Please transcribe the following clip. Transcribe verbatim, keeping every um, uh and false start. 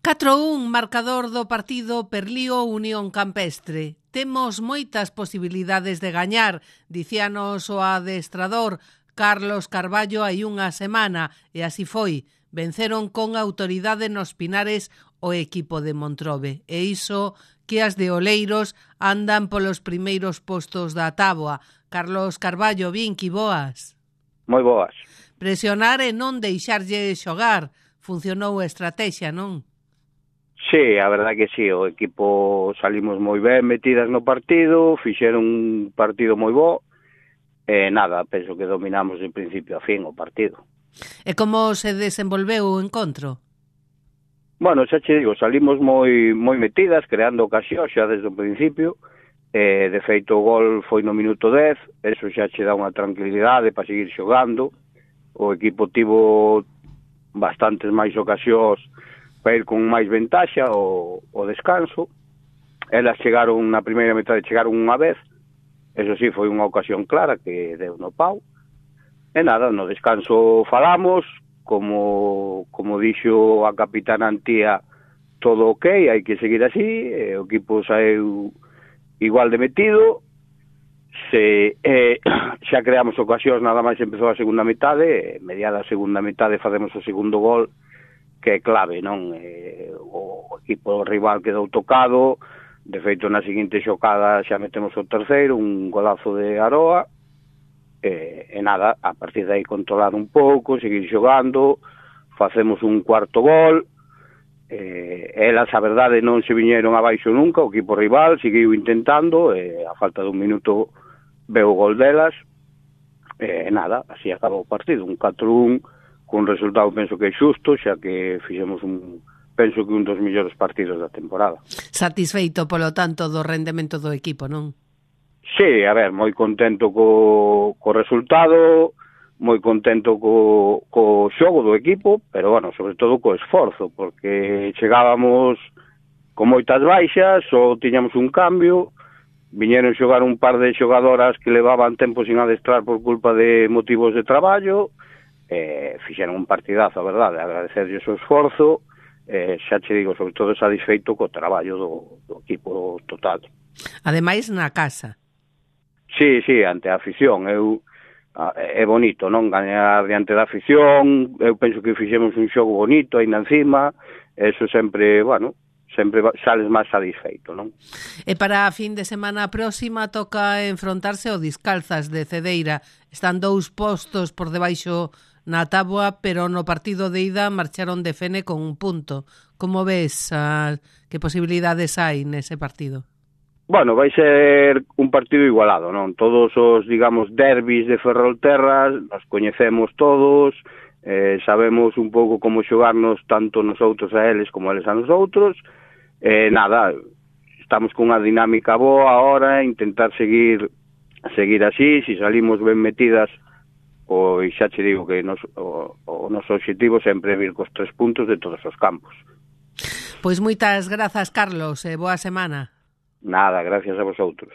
catro a un, marcador do partido Perlío Unión Campestre. Temos moitas posibilidades de gañar, dicíanos o adestrador Carlos Carballo hai unha semana, e así foi. Venceron con autoridade nos Pinares o equipo de Montrobe. E iso que as de Oleiros andan polos primeiros postos da táboa. Carlos Carballo, Vinqui, boas. Moi boas. Presionar e non deixarlle xogar. Funcionou a estrategia, non? Sí, a verdade que sí, o equipo salimos moi ben metidas no partido, fixeron un partido moi bo, e nada, penso que dominamos de principio a fin o partido. E como se desenvolveu o encontro? Bueno, xa che digo, salimos moi moi metidas, creando ocasións xa desde o principio, e de feito o gol foi no minuto dez, eso xa che dá unha tranquilidade para seguir xogando, o equipo tivo bastantes máis ocasións para ir con máis ventaxa o, o descanso. Elas chegaron na primeira metade, chegaron unha vez, eso sí, foi unha ocasión clara que deu no pau. E nada, no descanso falamos, como como dixo a capitana Antía, todo ok, hai que seguir así, e o equipo saeu igual de metido, se eh, xa creamos ocasións, nada máis empezou a segunda metade, e mediada a segunda metade facemos o segundo gol, que é clave, non? Eh, o equipo rival quedou tocado, de feito na seguinte xocada xa metemos o terceiro, un golazo de Aroa, e, e nada, a partir de aí controlar un pouco, seguir xogando, facemos un cuarto gol, eh, elas a verdade non se viñeron abaixo nunca, o equipo rival seguiu intentando, e a falta dun minuto veu o gol delas, e nada, así acabou o partido, un catro a un, con resultado penso que é xusto, xa que fixemos un, penso que un dos mellores partidos da temporada. Satisfeito, polo tanto, do rendemento do equipo, non? Sí, a ver, moi contento co, co resultado, moi contento co, co xogo do equipo, pero, bueno, sobre todo co esforzo, porque chegábamos con moitas baixas, só tiñamos un cambio, viñeron xogar un par de xogadoras que levaban tempo sin adestrar por culpa de motivos de traballo, eh, fixeron un partidazo, a verdade, agradecerlle o seu esforzo, eh, xa che digo, sobre todo satisfeito co traballo do, do equipo total. Ademais, na casa. Sí, sí, ante a afición, eu é bonito, non? Gañar diante da afición, eu penso que fixemos un xogo bonito aí encima, eso sempre, bueno, sempre sales máis satisfeito, non? E para a fin de semana próxima toca enfrontarse ao Discalzas de Cedeira. Están dous postos por debaixo na táboa, pero no partido de ida marcharon de Fene con un punto. Como ves, a, que posibilidades hai nese partido? Bueno, vai ser un partido igualado, non? Todos os, digamos, derbis de Ferrolterras, nos coñecemos todos, eh, sabemos un pouco como xogarnos tanto nosotros a eles como eles a nosotros, eh, nada, estamos con unha dinámica boa ahora, intentar seguir seguir así, si salimos ben metidas, pois xa che digo que nos, o, o noso objetivo sempre é vir cos tres puntos de todos os campos. Pois moitas grazas, Carlos, e boa semana. Nada, gracias a vosotros.